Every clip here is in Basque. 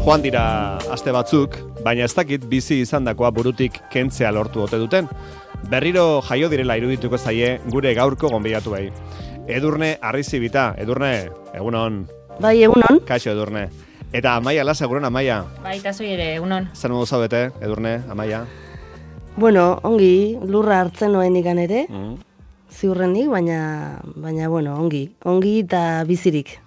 Joan dira aste batzuk, baina ez dakit bizi izandakoa burutik kentzea lortu ote duten. Berriro jaio direla irudituko zaie gure gaurko gonbidatu bai. Edurne Arrizibita, Edurne, egunon. Bai, egunon. Kaixo, Edurne. Eta Amaia Lasa, egunon, Amaia. Bai, eta zoi ere, egunon. Zer modu zaudete, Edurne, Amaia? Bueno, ongi, lurra hartzen noen ikan ere, ziurrenik, baina bueno, ongi eta bizirik.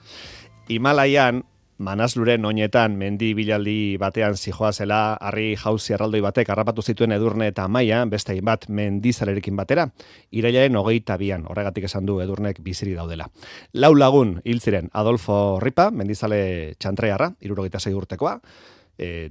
Himalaian, Manasluren oinetan mendi bilaldi batean zijoazela, harri jauzi erraldoi batek harrapatu zituen Edurne eta Amaia, beste hainbat mendizalerekin batera, irailaren 22an, horregatik esan du Edurnek biziri daudela. 4 lagun hil ziren Adolfo Ripa, mendizale txantrearra, 76 urtekoa,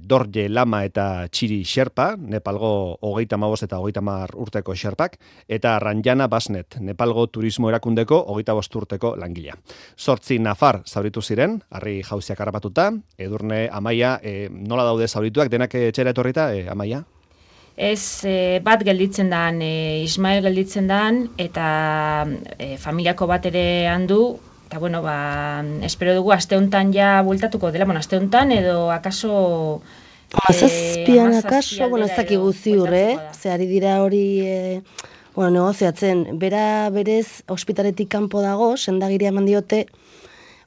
Dorje Lama eta Txiri Xerpa, Nepalgo 35 eta 30 urteko Xerpak, eta Ranjana Basnet, Nepalgo turismo erakundeko 25 urteko langilea. 8 nafar zauritu ziren, harri jauziak harrapatuta, Edurne, Amaia, nola daude zaurituak, denak etxera etorrita, Amaia? Ez, bat gelditzen dan, Ismael gelditzen dan, eta familiako bat ere handu. Eta, bueno, espero dugu aste hontan ja bueltatuko dela, aste hontan edo akaso... Amazazpian akaso, ez dakigu ziur, ze ari dira hori, negoziatzen. Bera berez, ospitaletik kanpo dago, sendagiria eman diote,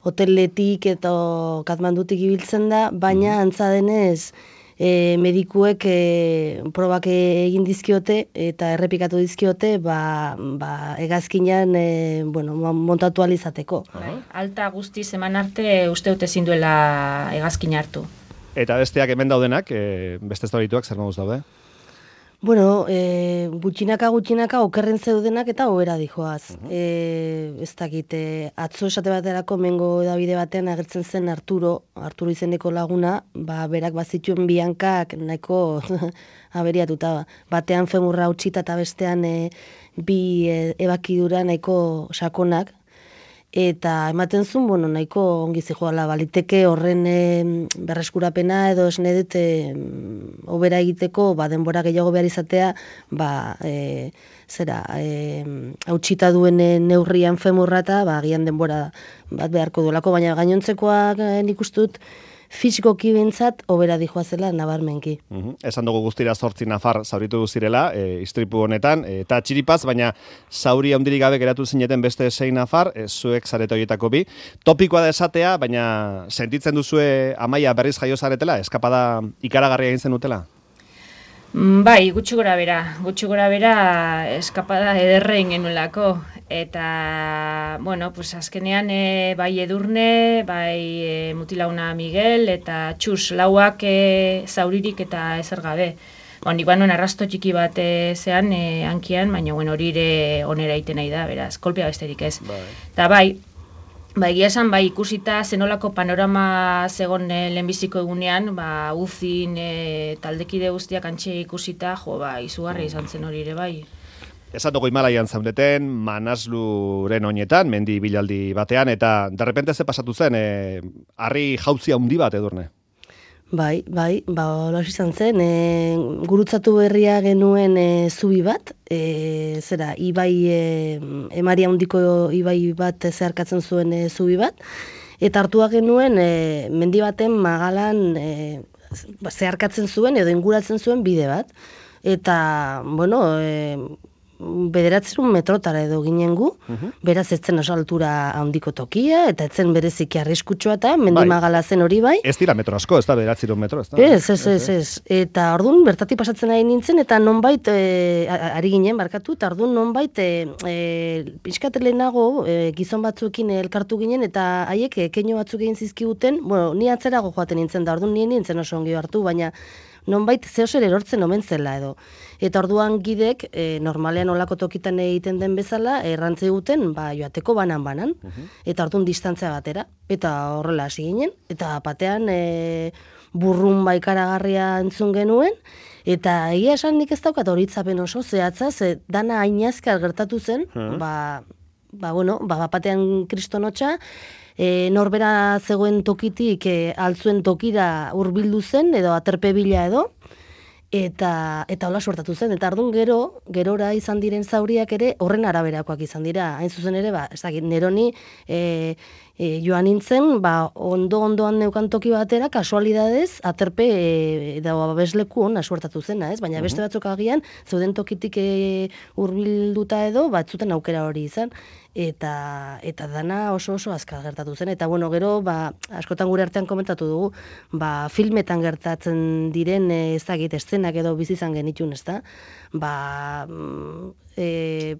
hoteletik eta Katmandutik ibiltzen da, baina antza denez, medikuek probak egin dizkiote eta errepikatu dizkiote hegazkinean montatu alizateko. Alta guztiz eman arte uste dute ezin duela hegazkina hartu. Eta besteak hemen daudenak, beste zaurituak zer moduz daude? Bueno, gutxinaka okerren zeudenak eta hobera dijoaz. Ez dakit, atzo esate baterako mengo edabide batean agertzen zen Arturo izeneko laguna, berak bazituen bihankak nahiko aberiatuta. Batean femurra utxita eta bestean bi ebakidura nahiko sakonak. Eta ematen zuen, nahiko ongi zijoala, baliteke horren berreskurapena edo esne dut hobera egiteko, denbora gehiago behar izatea, hautsita duen neurrian femurra eta agian denbora bat beharko duelako, baina gainontzekoak nik uste dut fisikoki bentsat hobera dijoazela nabarmenki. Esan dugu guztira 8 nafar zauritu zirela, istripu honetan, eta txiripaz, baina zauri handirik gabe geratu zineten beste 6 nafar, zuek zarete horietako bi. Topikoa da esatea, baina sentitzen duzue Amaia berriz jaio zaretela, eskapada ikaragarria egin zenutela? Bai, gutxi gora bera eskapada ederrein genuelako. Eta, azkenean bai Edurne, bai mutilauna Miguel, eta Txus, lauak zauririk eta ezer gabe. Nik arrasto txiki bat zean hankian, baina hori ere onera iten nahi da, beraz, kolpea besterik ez. Eta egia esan, ikusita zenolako panorama zegon lehenbiziko egunean, uzin taldekide guztiak antxe ikusita, izugarri izan zen hori ere bai. Esan dugu Himalaian zaudeten, Manasluren oinetan, mendi bilaldi batean, eta derrepente ze pasatu zen, harri jauzi handi bat, Edurne? Bai, hola izan zen, gurutzatu berria genuen zubi bat, ibai, emaria handiko ibai bat zeharkatzen zuen zubi bat, eta hartua genuen mendi baten magalan zeharkatzen zuen edo inguratzen zuen bide bat, eta, 900 metrotara edo ginen gu, beraz ez zen oso altura handiko tokia, eta ez zen bereziki arriskutsua eta mendimagala zen hori bai. Ez dira metro asko, ez da 900 metro, ez da? Ez. Eta orduan bertatik pasatzen ari nintzen, eta nonbait, ari ginen, barkatu, eta orduan nonbait, pixkatelenago gizon batzuekin elkartu ginen, eta haiek keino batzuk egin zizkiguten, ni atzerago joaten nintzen da, orduan nien nintzen oso ongi hartu, baina nonbait zehozer erortzen omen zela edo. Eta orduan gidek, normalean olako tokitan egiten den bezala, errantze guten, joateko banan-banan, eta orduan distantzia batera. Eta horrela hasi ginen, eta batean burrun ikaragarria entzun genuen, eta egia esan nik ez daukat horitzapen oso zehatza, ze dana ainazkar gertatu zen, batean kristonotxa, norbera zegoen tokitik altzuen tokira hurbildu zen edo aterpe bila edo, eta hola suertatu zen, eta ardun gerora izan diren zauriak ere horren araberakoak izan dira, hain zuzen ere, ez dakit, neroni joan nintzen, ondo-ondoan neukan toki batera, kasualidadez, aterpe edo babesleku hona suertatu zena, ez? Baina beste batzuk agian, zeuden tokitik hurbilduta edo, batzuten aukera hori izan, eta dana oso azkar gertatu zen. Eta bueno, gero, askotan gure artean komentatu dugu, filmetan gertatzen diren ezagit eszenak edo bizi izan genitun, ezta?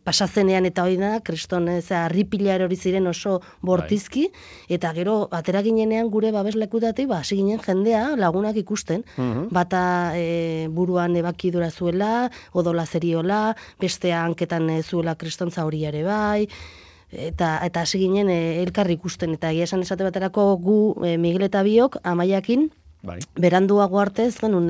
Pasazenean eta hori da, kriston harripilar hori ziren oso bortizki, eta gero, atera ginenean gure babeslekutatik, hasi ginen jendea lagunak ikusten, bata buruan ebakidura zuela, odola zeriola, bestea hanketan zuela kriston zauriare bai, eta hasi ginen elkarri ikusten, eta egia esan esate baterako gu Miguel eta biok Amaiakin, beranduago arte ez genuen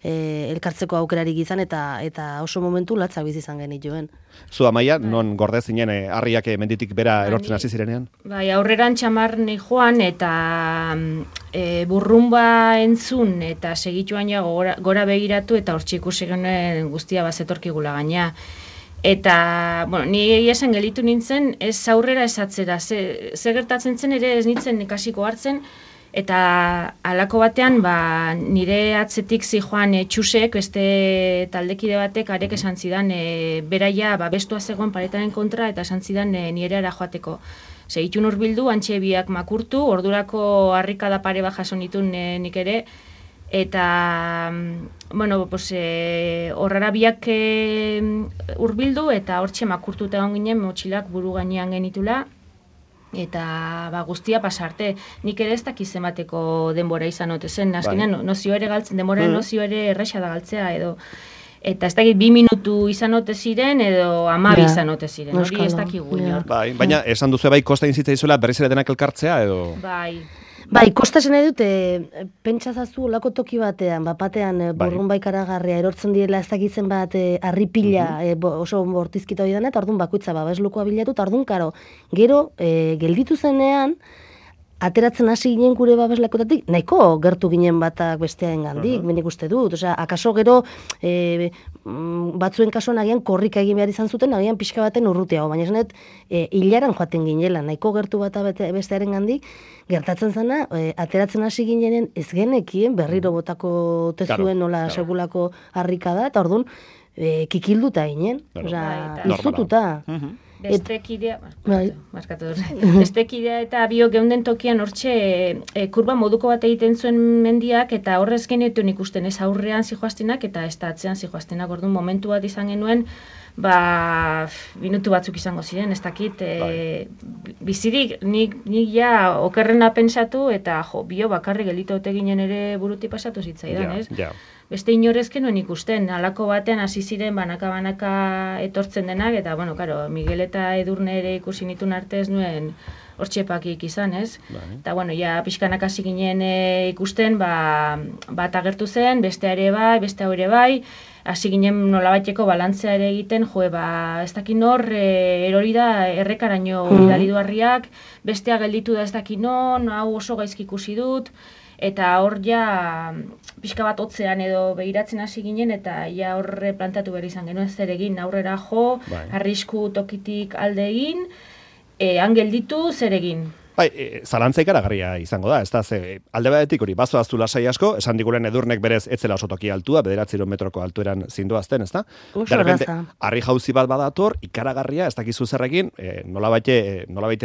elkartzeko aukerarik izan eta oso momentu latzak bizi izan genituen. Zu Amaia, non gorde zinen harriak menditik bera erortzen hasi zirenean? Bai, aurreran txamar joan eta burrumba entzun eta segituan ja gora begiratu eta hortxe ikusi genuen guztia bazetorkigula gaina. Eta, bueno, ni esan gelitu nintzen, ez aurrera ez atzera, ze gertatzen zen ere ez nintzen ikasiko hartzen, eta halako batean nire atzetik zijoan Txusek, beste taldekide batek arek esan zidan beraia bestua zegoen paretaren kontra eta esan zidan nire ara joateko. Segitun hurbildu, antxe biak makurtu, ordurako harrikada pare bat jaso nitun nik ere, eta bueno, horrara biak hurbildu eta hortxe makurtuta egon ginen motxilak buru gainean genitula, eta guztia pasarte. Nik ere ez dakiz emateko denbora izan ote zen, azkenean nozio ere galtzen, denbora nozio ere erresa da galtzea edo, eta ez dakit 2 minutu izan ote ziren edo 12 izan ote ziren, hori ez dakigu inor. Baina esan duzu kostain zitzaizuela berriz ere denak elkartzea edo? Bai, kostasen edut, pentsazazu olako toki batean, burrun ikaragarria erortzen direla ez dakitzen bat harripila oso bortizkita hori dena, eta orduan bakoitza babeslukoa bilatu, eta orduan karo, gero gelditu zenean, ateratzen hasi ginen gure babeslekotatik, nahiko gertu ginen batak bestearen gandik, benik uste dut, akaso gero batzuen kasuan agian korrika egin behar izan zuten, agian pixka baten urrutiago, baina esanet hilaran joaten ginela, nahiko gertu bata bestearen gandik, gertatzen zena, ateratzen hasi ginenen ez genekien, berriro botako tezuen nola segulako harrika da, eta orduan kikilduta ginen, izututa. Bestekidea eta biok geunden tokian hortxe kurba moduko bat egiten zuen mendiak eta horrez genetuen ikusten ez aurrean zijoaztenak eta ez da atzean zijoaztenak, orduan momentu bat izan genuen minutu batzuk izango ziren, ez dakit bizirik nik ja okerrena pensatu eta bio bakarri gelito ote ginen ere buruti pasatu zitzaidan, ez? Beste inorezken nuen ikusten, halako batean hasi ziren banaka etortzen denak, eta, bueno, karo, Miguel eta Edurne ere ikusi nituen arte ez nuen hortxepakik izan, ez? Eta, bueno, ja, pixkanak hasi ginen ikusten, bat agertu zen, beste ere bai, hasi ginen nolabaiteko balantzea ere egiten, ez dakin hor, erori da errekaraino bidali duarriak, bestea gelditu da ez dakin hau oso gaizki ikusi dut, eta hor ja pixka bat hotzean edo behiratzen hasi ginen eta ja horre plantatu behar izan genuen zer egin aurrera jo, arrisku tokitik alde egin, han gelditu zer egin. Zalantza ikaragarria izango da, ez da, alde batetik hori, bazoaztu lasai asko, esan diguren Edurnek berez etzela oso toki altua, 900 metroko altueran zindoazten, ez da? De repente, harri jauzi bat badator, ikaragarria, ez dakizu zerrekin, nolabait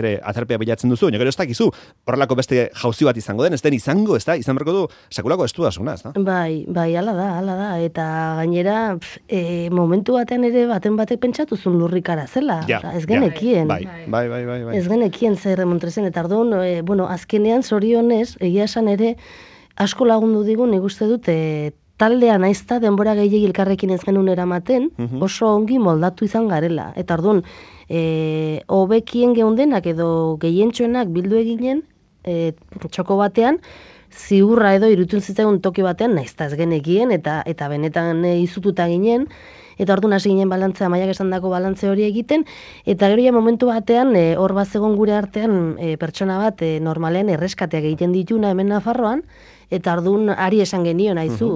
ere aterpea bilatzen duzu, baina gero ez dakizu, horrelako beste jauzi bat izango den, ez den izango, ez da, izan berko du, sekulako estuasuna, ez da? Bai, hala da, eta gainera, momentu batean ere baten batek pentsatuzun lurrikara zela, ez genekien. Bai. Ez genekien zer remontrezen, eta orduan, azkenean zorionez, egia esan ere, asko lagundu digun, nik uste dut, taldean aizta denbora gehiagik elkarrekin ez genuen eramaten, oso ongi moldatu izan garela. Eta orduan, hobekien geundenak edo gehientxoenak bildu eginen, txoko batean, ziurra edo irutun zitzaigun toki batean, naizta ez genekien, eta benetan izututa ginen, eta orduan hasi ginen balantzea, Amaiak esandako balantze hori egiten, eta gero ja momentu batean, hor bat zegoen gure artean pertsona bat normalean erreskateak egiten dituna hemen Nafarroan, eta orduan ari esan genion haizu,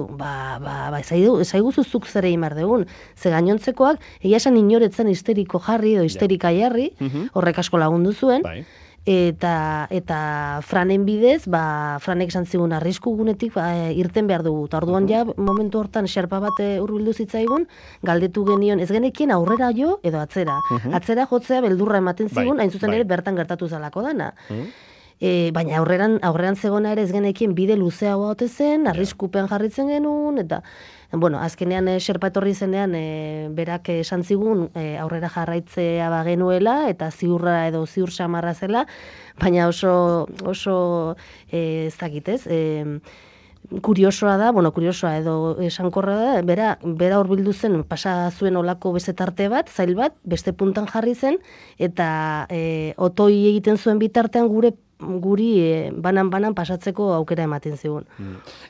ezaiguzu zuk zer egin behar dugun, ze gainontzekoak, egia esan inoretzen histeriko jarri edo histerika jarri, horrek asko lagundu zuen, eta Franen bidez, Franek esan zigun arrisku gunetik irten behar dugu. Ta orduan ja momentu hortan xerpa bat hurbildu zitzaigun, galdetu genion ez genekien aurrera jo edo atzera. Atzera jotzea beldurra ematen zigun, hain zuzen ere bertan gertatu zalako dana. Baina aurreran zegona ere ez genekien bide luzeagoa ote zen, arriskupen jarritzen genuen, eta azkenean xerpa etorri zenean berak esan zigun aurrera jarraitzea bagenuela eta ziurra edo ziur samarra zela, baina oso ez dakit ez, kuriosoa edo esankorra da, bera hurbildu zen, pasa zuen olako bezetarte bat, zail bat, beste puntan jarri zen, eta otoi egiten zuen bitartean guri banan pasatzeko aukera ematen zigun.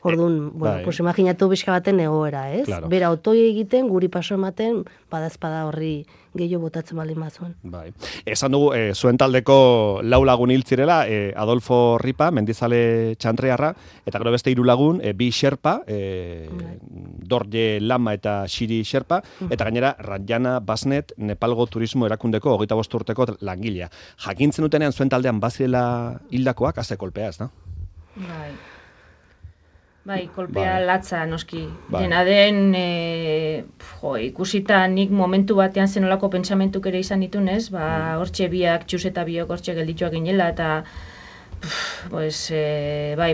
Orduan, pues imaginatu bizka baten egoera, ez? Claro. Bera otoi egiten, guri paso ematen, badazpada horri gehiago botatzen baldin bazuen. Bai. Esan dugu, zuen taldeko 4 lagun hil zirela, Adolfo Ripa, mendizale txantrearra, eta gero beste 3 lagun, 2 xerpa, Dorje Lama eta Xiri xerpa, eta gainera Rajana Basnet, Nepalgo Turismo Erakundeko 25 urteko langilea. Jakintzen dutenean zuen taldean bazirela hildakoak, haze kolpea, ez da? Bai, kolpea latza, noski. Dena den, ikusita nik momentu batean zenolako pentsamentuk ere izan ditunez, hortxe biak, txus eta biok hortxe geldituak ginela, eta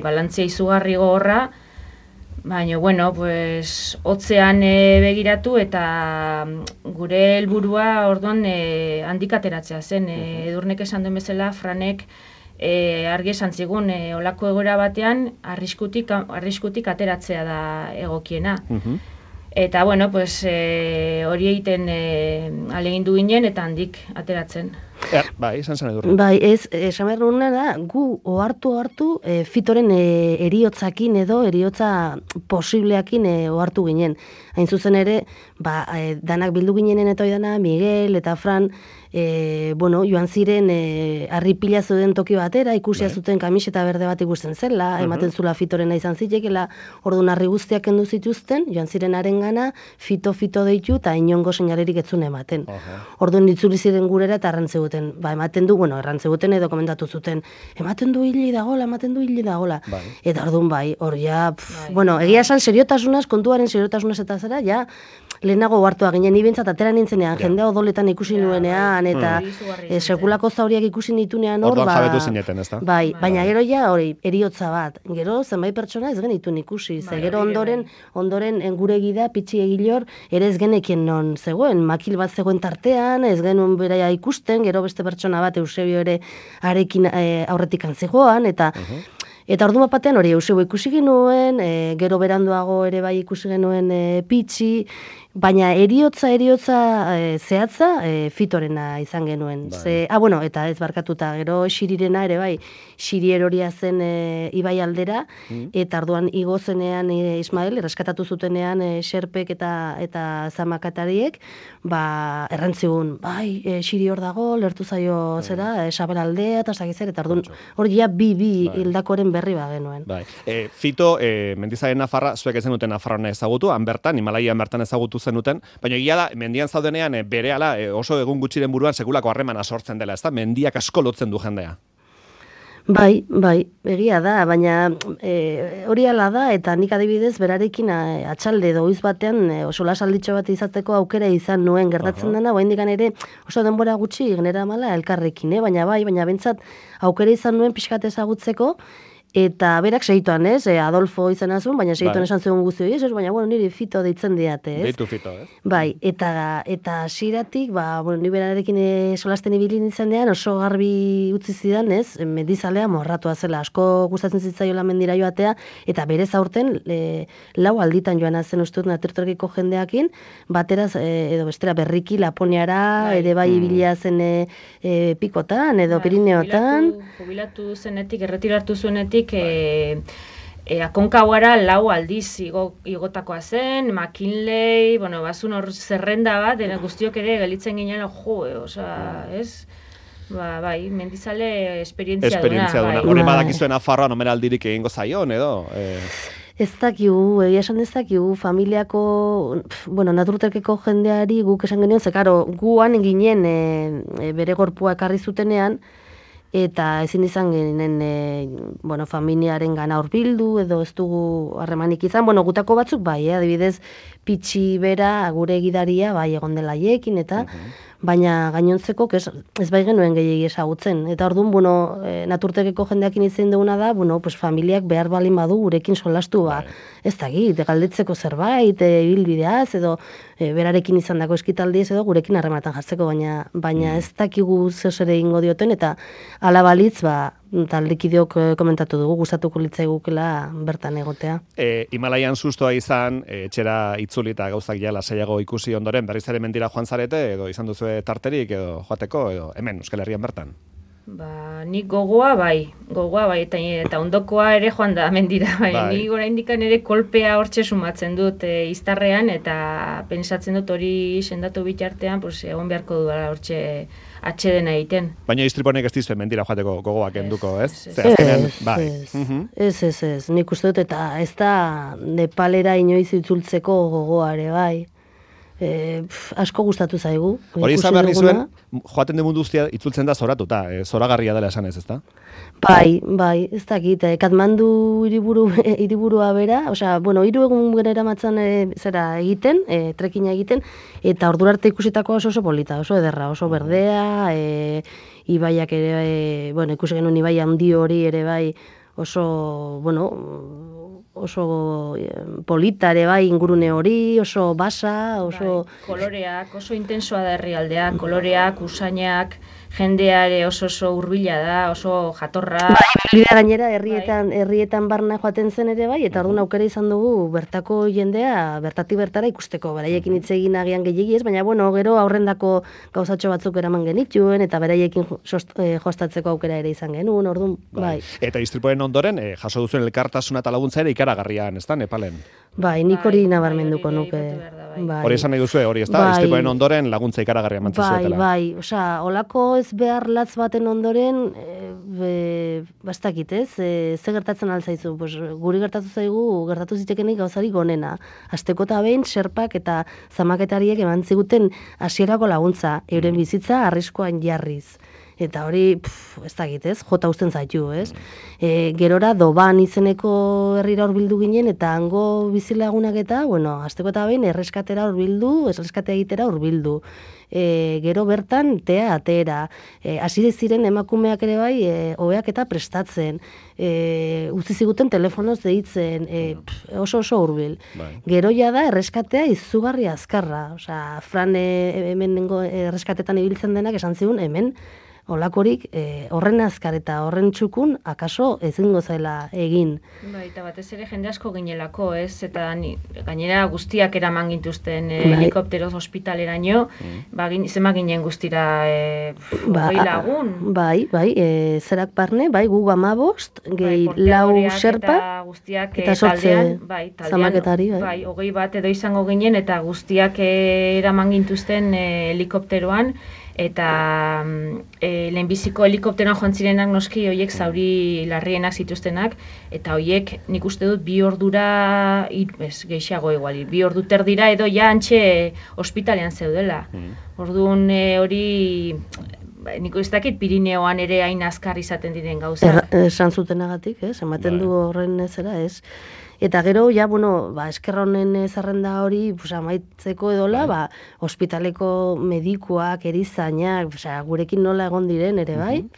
balantzia izugarri gogorra, baina, hotzean begiratu eta gure helburua orduan handik ateratzea zen. Edurnek esan duen bezala, Franek argi esan zigun, olako egoera batean arriskutik ateratzea da egokiena. Eta, hori egiten ahalegindu ginen eta handik ateratzen. Bai, esan zen Edurne. Bai, esan behar nuna da, gu ohartu Fitoren eriotzakin edo eriotza posibleakin ohartu ginen. Hain zuzen ere, danak bildu ginenen eta oidana, Miguel eta Fran, joan ziren harripila zeuden toki batera, ikusia zuten kamiseta berde bat ikusten zela, ematen zula Fitorena izan zitekela, orduan harri guztiak kendu zituzten, joan ziren harengana, Fito deitu eta inongo seinalerik etzun ematen. Orduan itzuli ziren gurera eta errantzeguten, ematen du, errantzeguten edo komentatu zuten, ematen du hili dagola. Eta orduan egia esan kontuaren seriotasunaz eta zera, ja, lehenago hartua ginen, ibentzat atera nintzenean, jendea odoletan ikusi nuenean, eta sekulako zauriak ikusi nitunean hor, orduan jabetu zineten, ez da? Bai, baina gero ja hori, eriotza bat, gero zenbait pertsona ez genituen ikusi, gero ondoren gure gida, pitxi egilor, ere ez genekien non zegoen, makil bat zegoen tartean, ez genuen beraia ikusten, gero beste pertsona bat, Eusebio ere arekin aurretik antzegoan, eta ordu batean hori Eusebio ikusi genuen, gero beranduago ere bai ikusi genuen pitxi, baina eriotza zehatza Fitorena izan genuen. Eta ez barkatuta, gero Xirirena ere bai, Xiri eroria zen ibai aldera, eta orduan igo zenean Ismael, erreskatatu zutenean Xerpek eta Zamakatariek, errantzigun, Xiri hor dago, lertu zaio zera, Sabel aldea, eta zagizer, eta orduan hori ja bi hildakoren berri genuen. Fito, mendizaren Nafarra, zuek ezen duten Nafarroan ezagutu, han bertan, Himalaian bertan ezagutu zenuten, baina egia da, mendian zaudenean berehala oso egun gutxiren buruan sekulako harremana sortzen dela, ezta? Mendiak asko lotzen du jendea. Bai, egia da, baina hori ala da, eta nik adibidez berarekin atxalde doiz batean oso lasalditxo bat izateko aukera izan nuen gertatzen dena, oraindik ere oso denbora gutxi genera mala elkarrekin, baina bentsat aukera izan nuen pixkat ezagutzeko, eta berak segituan, Adolfo izan azun, baina segituan esan zegoen guzti hori, baina, niri Fito deitzen diate, ez? Deitu Fito, ez? Bai, eta hasieratik, ni berarekin solasten ibili nintzenean oso garbi utzi zidan, ez? Mendizalea morratua zela, asko gustatzen zitzaiola mendira joatea, eta berez aurten 4 alditan joan zen uste dut atertorkiko jendeakin, bateraz, edo bestera berriki Laponiara, ere bai ibilia zen Pikotan, edo Pirineotan. Jubilatu zenetik, erretiratu zuenetik, Akonkagora 4 aldiz igotakoa zen, McKinley, bazun hor zerrenda bat, guztiok ere gelitzen ginen, ez? Bai, mendizale esperientzia duna. Hori badakizuen Nafarroan omenaldirik egingo zaion, edo? Ez dakigu, egia esan ez dakigu, familiako, naturtekeko jendeari guk esan genuen, gu han ginen bere gorpua ekarri zutenean, eta ezin izan genen familiaren gana hurbildu edo ez dugu harremanik izan, gutako batzuk bai, adibidez Pitxi bera gure gidaria bai egon dela haiekin eta baina gainontzeko ez bai genuen gehiegi ezagutzen. Eta orduan, naturtekeko jendeakin izan duguna da, familiak behar balin badu gurekin solastu, ez dakit, galdetzeko zerbait, ibilbideaz, edo berarekin izan dako eskitaldiez, edo gurekin harrematan jartzeko, baina ez dakigu zeus ere ingo dioten, eta ala balitz, taldekideok komentatu dugu, gustatuko litzaigukela bertan egotea. Himalaian sustoa izan, etxera itzuli eta gauzak ja lasaiago ikusi ondoren, berriz ere mendira joan zarete, edo izan duzu tarterik, edo joateko, edo hemen, Euskal Herrian bertan? Nik gogoa bai, eta ondokoa ere joan da mendira, bai. Nik oraindik ere kolpea hortxe sumatzen dut iztarrean, eta pensatzen dut hori sendatu bitartean, egon beharko dudala hortxe atxedena egiten. Baina istriponek ez dizue mendira joateko gogoak enduko, ez? Ez, nik uste dut, eta ez da Nepalera inoiz itzultzeko gogoa ere bai. Asko gustatu zaigu. Hori izan behar nizuen, joaten den mundu guztia itzultzen da zoratuta, zoragarria dela esan ez, ezta? Bai, ez dakit, Katmandu hiriburua bera, hiru egun genera matzan egiten, trekina egiten, eta ordura arte ikusitakoa oso polita, oso ederra, oso berdea, ibaiak ere, ikusi genuen ibai handi hori ere bai, oso polita ere bai ingurune hori, oso basa, oso... Koloreak, oso intensoa da herrialdea, koloreak, usainak, jendeare oso hurbila da, oso jatorra. Gainera, herrietan barna joaten zen ere bai, eta orduan aukera izan dugu bertako jendea, bertatik bertara ikusteko, beraiekin hitz egin agian gehiegi ez, baina gero aurrendako gauzatxo batzuk eraman genituen, eta beraiekin jostatzeko aukera ere izan genuen, orduan, bai. Eta istripoen ondoren, jaso duzuen elkartasuna eta laguntza ere ikaragarrian, ez da, Nepalen? Bai, nik hori nabarmenduko nuke. Hori esan nahi duzu, hori ez da, istripoen ondoren laguntza ikaragarria mantzen zuetela. Bai, olako ez behar latz baten ondoren, bastakit ez, ze gertatzen altzaizu, guri gertatu zitekenik gauzarik onena. Azteko eta behin, serpak eta zamaketariek eman ziguten hasierako laguntza, euren bizitza arriskoan jarriz. Eta hori, ez dakit ez, jota usten zaitu, ez? Gerora Doban izeneko herrira hurbildu ginen, eta hango bizilagunak eta, azteko eta behin, erreskatea egitera hurbildu. Gero bertan, atera. Hasi ziren emakumeak ere bai, oheak eta prestatzen. Utzi ziguten telefonoz deitzen, oso hurbil. Gero da erreskatea izugarri azkarra. Fran hemen erreskatetan ibiltzen denak esan zigun hemen, olakorik horren azkar eta horren txukun akaso ezingo zela egin. Eta batez ere jende asko ginelako, ez? Eta gainera guztiak eraman gintuzten helikopteroz ospitaleraino, zema ginen guztira 20 lagun. Bai, zerak barne, gu 15, gehi 4 serpa, eta 8 zamaketari. 20 bat edo izango ginen, eta guztiak eraman gintuzten helikopteroan, eta lehenbiziko helikopteroan joan zirenak noski horiek zauri larrienak zituztenak, eta horiek nik uste dut 2 ordura, gehiago igual, 2 ordu terdira edo ja antxe ospitalean zeudela. Orduan hori, nik ez dakit Pirineoan ere hain azkar izaten diren gauza. Esan zutenagatik, ematen du horren ezera, ez. Eta gero, eskerronen zerrenda hori amaitzeko edola, ospitaleko medikuak, erizainak, gurekin nola egon diren ere bai,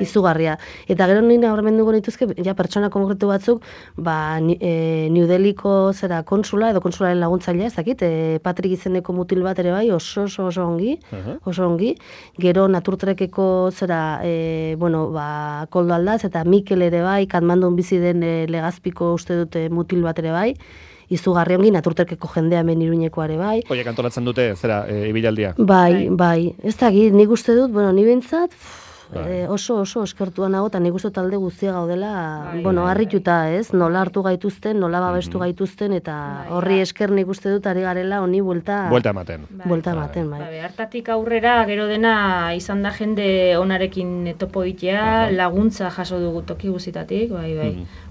izugarria. Eta gero nina horremenduko nituzke, pertsona konkretu batzuk, New Delhiko konsula edo konsularen laguntzailea, ez dakit, Patrik izeneko mutil bat ere bai, oso ongi. Gero naturtrekeko Koldo Aldaz, eta Mikel ere bai, Katmandun bizi den Legazpiko uste dute mutil bat ere bai, izugarri ongi, naturterkeko jendea hemen Iruñekoa ere bai. Oiek antolatzen dute, ibilaldia? Bai, ez dakit, nik uste dut, ni bentsat, oso eskertua nago, eta nik uste talde guztia gaudela, harrituta ez, nola hartu gaituzten, nola babestu gaituzten, eta horri esker nik uste dut ari garela honi buelta ematen. Bai. Hartatik aurrera, gero dena izan da jende onarekin topo itea, laguntza jaso dugu toki guzitatik,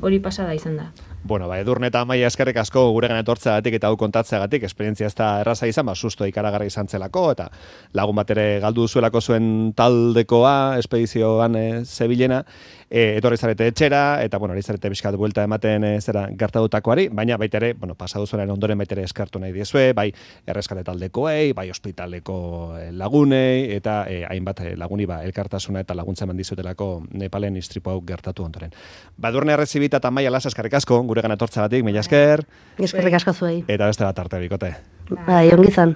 hori pasada izan da. Bueno, Edurne eta Amaia eskerrik asko guregan etortzeagatik eta hau kontatzeagatik, esperientzia ez da erraza izan, susto ikaragarri izan zelako, eta lagun bat ere galdu zuelako zuen taldekoa, espedizioan zebilena, etorri zarete etxera, eta, ari zarete bizkat buelta ematen zera gertatutakoari, baina baita ere, pasadu zuenaren ondoren baita ere eskartu nahi diezue, bai erreskate taldekoei, bai ospitaleko lagunei, eta hainbat laguni elkartasuna eta laguntza eman dizutelako Nepalen istripu hau gertatu ondoren. Edurne Arrezibita eta Amaia Lasa eskerrik asko, guregan etortzagatik, mila esker. Eskerrik asko zuei. Eta beste bat arte bikote. Bai, ongi izan.